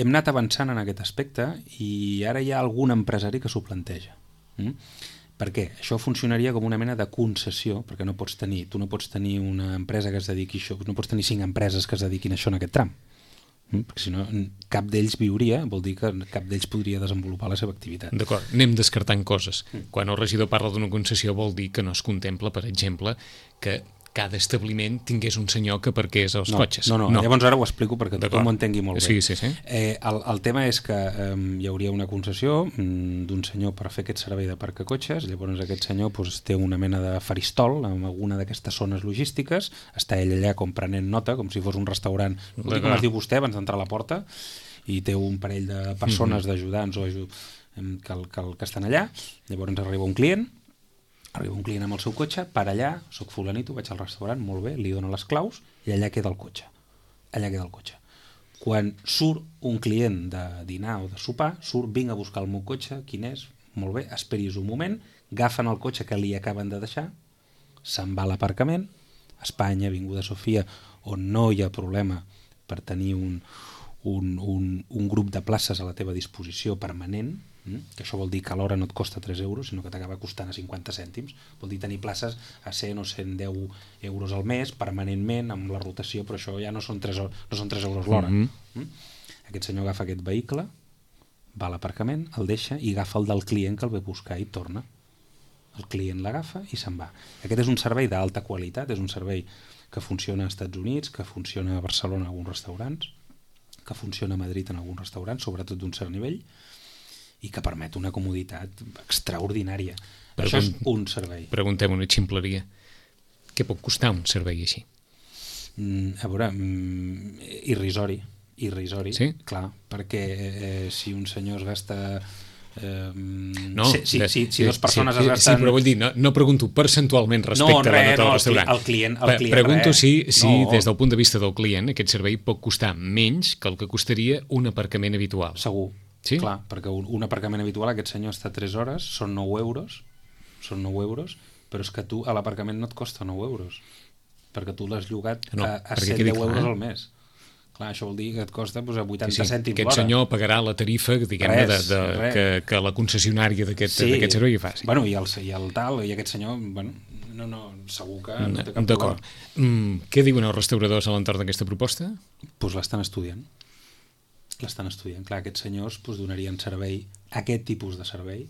hem anat avançant en aquest aspecte i ara hi ha algun empresari que s'ho planteja. Mm? Per què? Això funcionaria com una mena de concessió, perquè no pots tenir, tu no pots tenir una empresa que es dediqui a això, no pots tenir cinc empreses que es dediquin a això en aquest tram. Perquè si no cap d'ells viuria, vol dir que cap d'ells podria desenvolupar la seva activitat. D'acord, anem descartant coses. Quan el regidor parla d'una concessió vol dir que no es contempla, per exemple, que cada establiment tingués un senyor que parqués els no, cotxes. No, no, no, llavors ara ho explico perquè tothom ho entengui molt bé. Sí, sí, sí. Eh, el, el tema és que eh, hi hauria una concessió mm, d'un senyor per fer aquest servei de parc a cotxes, llavors aquest senyor pues, té una mena de faristol en alguna d'aquestes zones logístiques, està ell allà com prenent nota, com si fos un restaurant, com es diu vostè abans d'entrar a la porta, i té un parell de persones, mm-hmm. d'ajudants o ajud... que, que, que estan allà, llavors arriba un client, arriba un client amb el seu cotxe, per allà, soc fulanito, vaig al restaurant, molt bé, li dono les claus i allà queda el cotxe. Allà queda el cotxe. Quan surt un client de dinar o de sopar, surt, vinc a buscar el meu cotxe, quin és? Molt bé, esperis un moment, agafen el cotxe que li acaben de deixar, se'n va a l'aparcament, Espanya, Avinguda Sofia, on no hi ha problema per tenir un, un, un, un grup de places a la teva disposició permanent, que això vol dir que a l'hora no et costa tres euros, sinó que t'acaba costant a cinquanta cèntims, vol dir tenir places a cent o cent deu euros al mes, permanentment, amb la rotació, però això ja no són tres, no són tres euros l'hora. Mm-hmm. Aquest senyor agafa aquest vehicle, va a l'aparcament, el deixa i agafa el del client que el ve buscar i torna. El client l'agafa i se'n va. Aquest és un servei d'alta qualitat, és un servei que funciona als Estats Units, que funciona a Barcelona en alguns restaurants, que funciona a Madrid en alguns restaurants, sobretot d'un cert nivell, i que permet una comoditat extraordinària. Pregun- Això és un servei. Preguntem una ximpleria. Què pot costar un servei així? Mm, a veure, mm, irrisori. Irrisori, sí? Clar, perquè eh, si un senyor es gasta Eh, no, si, si, de, si, si dues persones sí, es gasten... Sí, però vull dir, no, no pregunto percentualment respecte no, a la res, nota no, del restaurant. El client, el client Pregunto res. si, si no. des del punt de vista del client, aquest servei pot costar menys que el que costaria un aparcament habitual. Segur, sí? Clar, perquè un, un aparcament habitual, aquest senyor està tres hores, són nou euros, són nou euros, però és que tu a l'aparcament no et costa nou euros, perquè tu l'has llogat no, a, a cent deu euros al mes. Clar, això vol dir que et costa doncs, a vuitanta sí, sí. cèntims l'hora. Aquest senyor pagarà la tarifa diguem-ne, de, de, que, que la concessionària d'aquest sí. servei fa. Sí. Bueno, i el, i el tal, i aquest senyor, bueno, no, no, segur que no té cap problema. D'acord. Mm, què diuen els restauradors a l'entorn d'aquesta proposta? Doncs pues l'estan estudiant. L'estan estudiant. Clar, aquests senyors pues, donarien servei, aquest tipus de servei,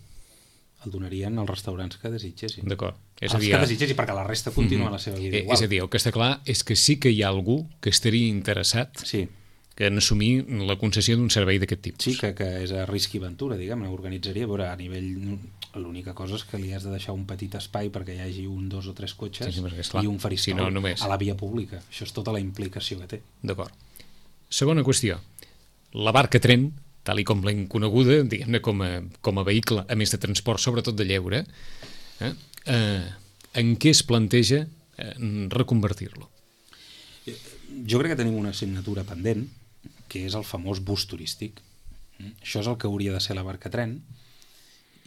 el donarien als restaurants que desitgessin. D'acord. És els a dir, que desitgessin, perquè la resta continua mm -hmm. la seva vida igual. És a dir, el que està clar és que sí que hi ha algú que estaria interessat sí. que en assumir la concessió d'un servei d'aquest tipus. Sí, que, que és a risc i aventura, diguem-ne, organitzaria, a veure, a nivell... L'única cosa és que li has de deixar un petit espai perquè hi hagi un, dos o tres cotxes sí, sí, i un faristol si no, només... a la via pública. Això és tota la implicació que té. D'acord. Segona qüestió. La barca tren, tal i com l'hem coneguda, diguem-ne com a, com a vehicle, a més de transport, sobretot de lleure, eh? Eh, en què es planteja eh, reconvertir-lo? Jo crec que tenim una assignatura pendent, que és el famós bus turístic. Això és el que hauria de ser la barca tren,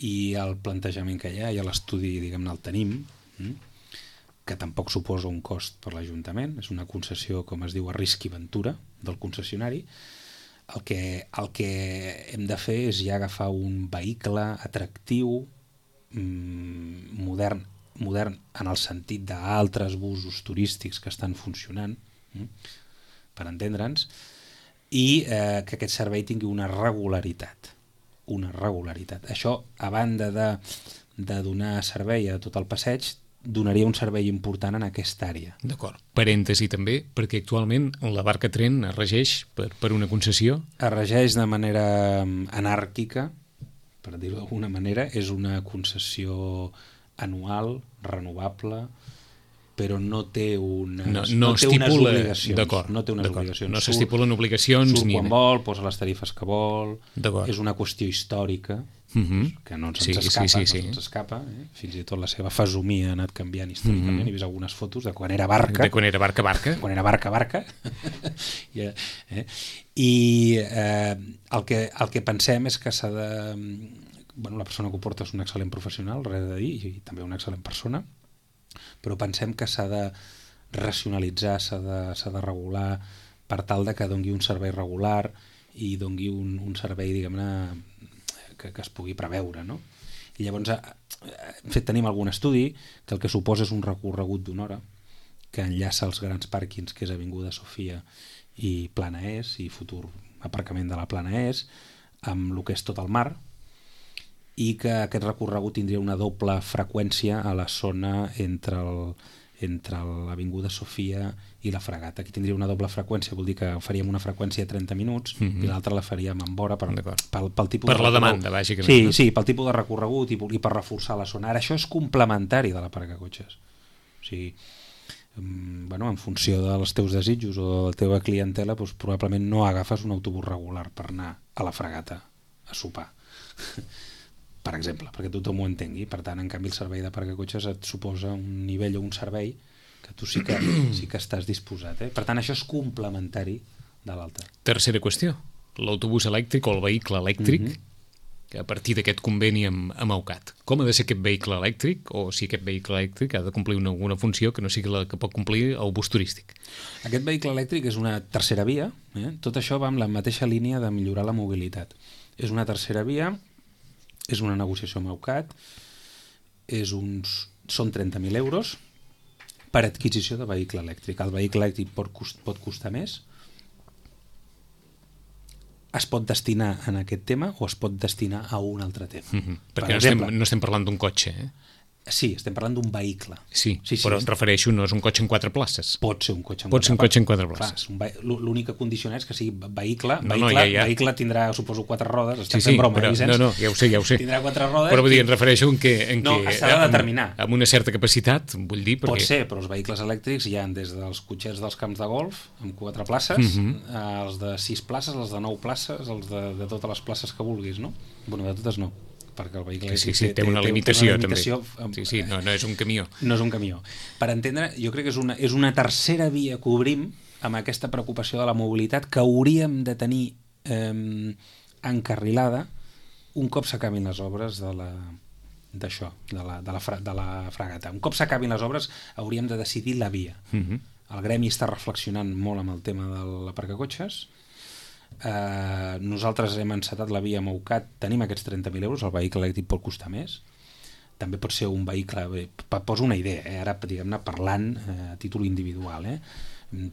i el plantejament que hi ha, i l'estudi, diguem-ne, el tenim, que tampoc suposa un cost per l'Ajuntament, és una concessió, com es diu, a risc i aventura del concessionari. El que, el que hem de fer és ja agafar un vehicle atractiu, modern, modern en el sentit d'altres busos turístics que estan funcionant, per entendre'ns, i eh, que aquest servei tingui una regularitat. Una regularitat. Això, a banda de, de donar servei a tot el passeig, donaria un servei important en aquesta àrea. D'acord. Parèntesi també, perquè actualment la barca tren es regeix per, per una concessió? Es regeix de manera anàrquica, per dir-ho d'alguna manera, és una concessió anual, renovable, però no té unes, no, no no té estipula, unes obligacions. No té unes obligacions. No s'estipulen obligacions. Surt ni... quan vol, posa les tarifes que vol, és una qüestió històrica, uh-huh. que no ens sí, escapa, sí, sí, sí. no ens escapa eh? Fins i tot la seva fesomia ha anat canviant històricament, uh-huh. he vist algunes fotos de quan era barca. De quan era barca, barca. Quan era barca, barca. I, eh? I eh, el, que, el que pensem és que s'ha de... Bueno, la persona que ho porta és un excel·lent professional, res de dir, i també una excel·lent persona, però pensem que s'ha de racionalitzar, s'ha de, s'ha de regular per tal de que dongui un servei regular i dongui un, un servei, diguem-ne, que, que es pugui preveure, no? I llavors en fet, tenim algun estudi que el que suposa és un recorregut d'una hora que enllaça els grans pàrquings, que és Avinguda Sofia i Plana Est, i futur aparcament de la Plana Est, amb el que és tot el mar, i que aquest recorregut tindria una doble freqüència a la zona entre el, entre l'Avinguda Sofia i la Fragata. Aquí tindria una doble freqüència, vol dir que faríem una freqüència de trenta minuts mm-hmm. i l'altra la faríem en vora per, pel, pel tipus per de la demanda, bàsicament. Sí, no? sí, pel tipus de recorregut i, i per reforçar la zona. Ara, això és complementari de la paracotxes. O sigui, bueno, en funció dels teus desitjos o de la teva clientela, doncs, probablement no agafes un autobús regular per anar a la Fragata a sopar. Per exemple, perquè tothom ho entengui. Per tant, en canvi, el servei de paracotxes et suposa un nivell o un servei que tu sí que, sí que estàs disposat. Eh? Per tant, això és complementari de l'altre. Tercera qüestió, l'autobús elèctric o el vehicle elèctric, mm-hmm. que a partir d'aquest conveni amb, amb Aucat. Com ha de ser aquest vehicle elèctric, o si aquest vehicle elèctric ha de complir una, alguna funció que no sigui la que pot complir el bus turístic? Aquest vehicle elèctric és una tercera via. Eh? Tot això va amb la mateixa línia de millorar la mobilitat. És una tercera via, és una negociació amb Aucat, és uns, són trenta mil euros per adquisició de vehicle elèctric. El vehicle elèctric pot, cost, pot costar més, es pot destinar en aquest tema o es pot destinar a un altre tema. Mm-hmm. Perquè per no, exemple, estem, no estem parlant d'un cotxe, eh? Sí, estem parlant d'un vehicle. Sí, sí, sí però és... em refereixo, no és un cotxe en quatre places. Pot ser un cotxe en Pot ser un cotxe en quatre Clar, places. un ve... L'única condició és que sigui vehicle. No, vehicle, no, ja, ja. vehicle tindrà, suposo, quatre rodes. Estem Sí, sí, fent broma, però, eh, Vicenç? no, no, ja ho sé, ja ho sé. Tindrà quatre rodes. Però vull dir, em refereixo en que... En No, que s'ha de determinar. Amb, amb una certa capacitat, vull dir, perquè... Pot ser, però els vehicles elèctrics hi ha des dels cotxets dels camps de golf, amb quatre places, Mhm. uh els de sis places, els de nou places, els de, de totes les places que vulguis, no? Bueno, de totes no, perquè el vehicle Sí, elèctric sí, té una limitació, té una limitació, també. Sí, sí, no, no és un camió. No és un camió. Per entendre, jo crec que és una, és una tercera via que obrim amb aquesta preocupació de la mobilitat que hauríem de tenir eh, encarrilada un cop s'acabin les obres de la d'això, de la, de, la fra, de la fragata. Un cop s'acabin les obres hauríem de decidir la via. Mhm. El gremi està reflexionant molt amb el tema de l'aparcacotxes. Eh, nosaltres hem encetat la via Moucat, tenim aquests trenta mil euros, el vehicle elèctric pot costar més, també pot ser un vehicle, bé, poso una idea, eh? Ara diguem-ne parlant eh, a títol individual, eh?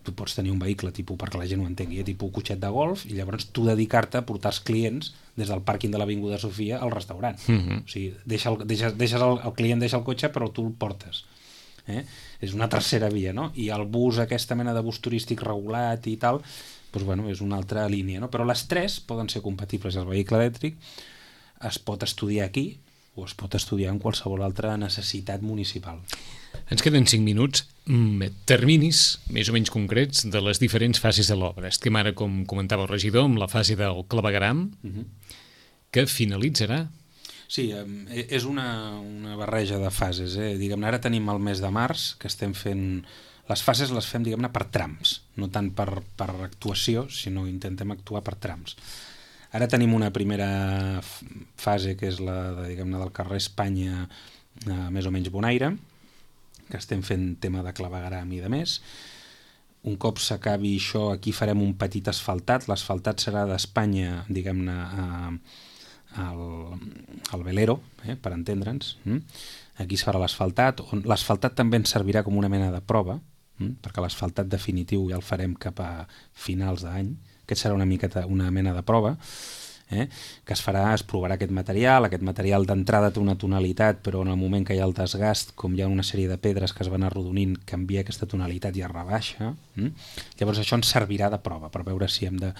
Tu pots tenir un vehicle tipus, perquè la gent ho entengui, eh? tipus cotxet de golf, i llavors tu dedicar-te a portar els clients des del pàrquing de l'Avinguda Sofia al restaurant. Mhm. O sigui, deixa el, deixa, deixes el, el client deixa el cotxe però tu el portes. Eh? És una tercera via, no? I el bus, aquesta mena de bus turístic regulat i tal, doncs, bueno, és una altra línia, no? Però les tres poden ser compatibles. El vehicle elèctric es pot estudiar aquí o es pot estudiar en qualsevol altra necessitat municipal. Ens queden cinc minuts. Mm, terminis més o menys concrets de les diferents fases de l'obra. Estem ara, com comentava el regidor, amb la fase del clavegueram, Uh-huh. que finalitzarà. Sí, eh, és una, una barreja de fases. Eh? Diguem-ne, ara tenim el mes de març, que estem fent... Les fases les fem, diguem-ne, per trams, no tant per, per actuació, sinó intentem actuar per trams. Ara tenim una primera fase, que és la de, diguem-ne, del carrer Espanya, eh, més o menys Bonaire, que estem fent tema de clavegueram i de més. Un cop s'acabi això, aquí farem un petit asfaltat. L'asfaltat serà d'Espanya, diguem-ne, a, al, al Velero, eh, per entendre'ns. Mm? Aquí es farà l'asfaltat. L'asfaltat també ens servirà com una mena de prova, mm? perquè l'asfaltat definitiu ja el farem cap a finals d'any. Aquest serà una miqueta una mena de prova, eh? que es farà, es provarà aquest material. Aquest material d'entrada té una tonalitat, però en el moment que hi ha el desgast, com hi ha una sèrie de pedres que es van arrodonint, canvia aquesta tonalitat i es rebaixa. Mm? Llavors això ens servirà de prova per veure si hem de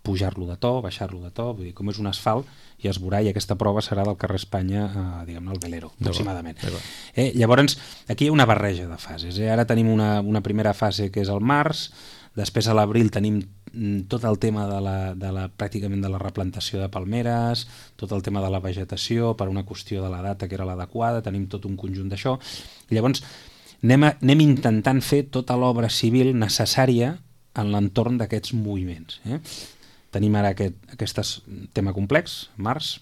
pujar-lo de to, baixar-lo de to, vull dir, com és un asfalt, i es veurà, i aquesta prova serà del carrer Espanya, eh, diguem-ne, al Velero, aproximadament. Eh, llavors, aquí hi ha una barreja de fases. Eh? Ara tenim una, una primera fase que és el març, després a l'abril tenim tot el tema de la, de la, pràcticament de la replantació de palmeres, tot el tema de la vegetació, per una qüestió de la data que era l'adequada, tenim tot un conjunt d'això. Llavors, anem, a, anem intentant fer tota l'obra civil necessària en l'entorn d'aquests moviments. Eh? Tenim ara aquest, aquest tema complex, març,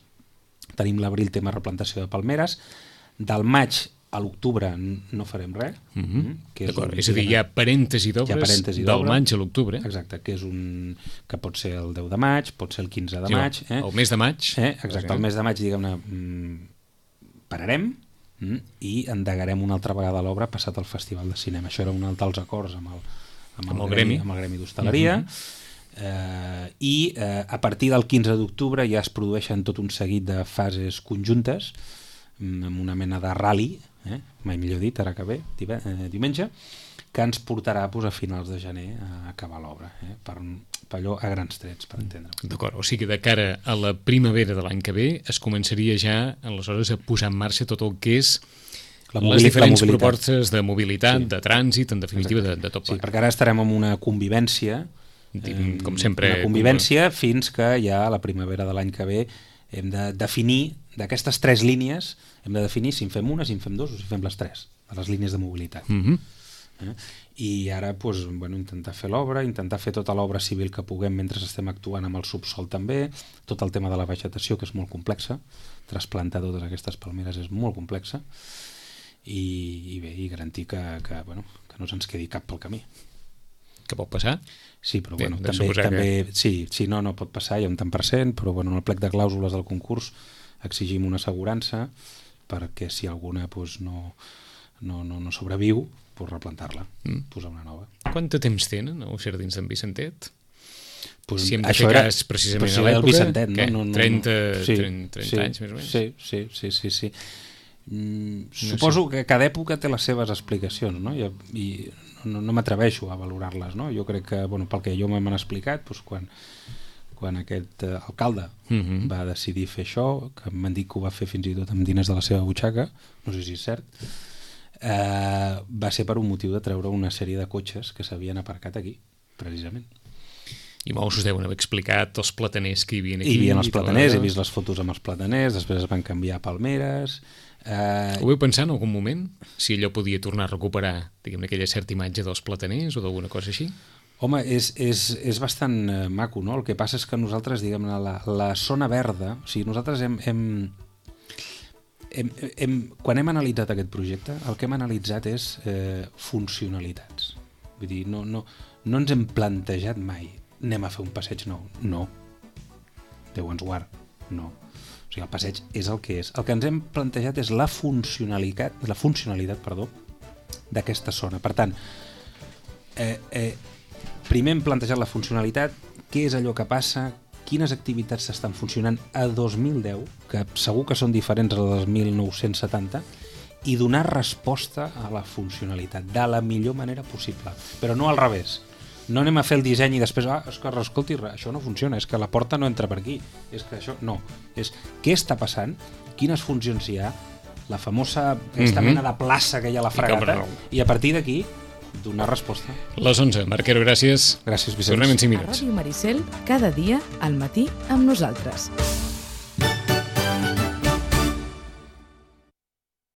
tenim l'abril tema replantació de palmeres, del maig a l'octubre no farem res. Mm-hmm. que és, D'acord, un, és a dir, hi ha parèntesi d'obres del maig a l'octubre. Exacte, que és un que pot ser el deu de maig, pot ser el quinze de Sí, maig. Eh? El mes de maig. Eh? Exacte, el mes de maig, diguem-ne, pararem mm, i endegarem una altra vegada l'obra passat el Festival de Cinema. Això era un altre dels acords amb el, amb el, amb el gremi, gremi, amb el gremi d'hostaleria. Mm-hmm. eh, i eh, a partir del quinze d'octubre ja es produeixen tot un seguit de fases conjuntes amb una mena de rally, eh? mai millor dit, ara que ve, eh, diumenge, que ens portarà pues, a finals de gener a acabar l'obra, eh? per, per allò a grans trets, per entendre-ho. D'acord, o sigui que de cara a la primavera de l'any que ve es començaria ja aleshores a posar en marxa tot el que és la les diferents propostes de mobilitat, sí. de trànsit, en definitiva, de, de tot plegat. Sí, plegat. perquè ara estarem en una convivència, eh, com sempre, una convivència com... fins que ja a la primavera de l'any que ve hem de definir, d'aquestes tres línies, hem de definir si en fem una, si en fem dos o si fem les tres, de les línies de mobilitat. Mm-hmm. eh? I ara pues, bueno, intentar fer l'obra, intentar fer tota l'obra civil que puguem mentre estem actuant amb el subsol també, tot el tema de la vegetació, que és molt complexa, trasplantar totes aquestes palmeres és molt complexa, i, i bé, i garantir que, que, bueno, que no se'ns quedi cap pel camí. Que pot passar? Sí, però Bé, bueno, també, també que... sí, sí, no, no pot passar, hi ha un tant per cent, però bueno, en el plec de clàusules del concurs exigim una assegurança perquè si alguna pues, no, no, no, no sobreviu, pues, replantar-la, mm. posar una nova. Quant de temps tenen els jardins d'en Vicentet? Pues, si hem de això fer era, cas precisament si a l'època, Vicentet, no? què? No, no, trenta, sí, trenta, trenta sí, anys més o menys? Sí, sí, sí, sí, sí. Mm, suposo que cada època té les seves explicacions, no? I, i no, no m'atreveixo a valorar-les, no? Jo crec que, bueno, pel que jo m'han explicat, doncs quan, quan aquest eh, alcalde uh-huh. va decidir fer això, que m'han dit que ho va fer fins i tot amb diners de la seva butxaca, no sé si és cert, eh, va ser per un motiu de treure una sèrie de cotxes que s'havien aparcat aquí, precisament. I molts us deuen haver explicat els plataners que hi havia aquí. Hi havia els plataners, he vist les fotos amb els plataners, després es van canviar a palmeres. Eh... Ho vau pensar en algun moment? Si allò podia tornar a recuperar, diguem, aquella certa imatge dels plataners o d'alguna cosa així? Home, és, és, és bastant eh, maco, no? El que passa és que nosaltres, diguem, la, la zona verda, o sigui, nosaltres hem, hem, hem, hem... Quan hem analitzat aquest projecte, el que hem analitzat és eh, funcionalitats. Vull dir, no, no, no ens hem plantejat mai anem a fer un passeig nou. No. Déu ens guard. No. O sigui, el passeig és el que és. El que ens hem plantejat és la funcionalitat, la funcionalitat, perdó, d'aquesta zona. Per tant, eh, eh, primer hem plantejat la funcionalitat, què és allò que passa, quines activitats s'estan funcionant a dos mil deu, que segur que són diferents a les del mil nou-cents setanta, i donar resposta a la funcionalitat de la millor manera possible. Però no al revés. No anem a fer el disseny i després, ah, és que escolti, això no funciona, és que la porta no entra per aquí, és que això, no. És què està passant, quines funcions hi ha, la famosa, aquesta mm-hmm. mena de plaça que hi ha a la Fragata, i, i a partir d'aquí donar resposta. Les onze. Marquero, gràcies. Gràcies, Vicenç. Tornem en cinc minuts. A Ràdio Maricel, cada dia, al matí, amb nosaltres.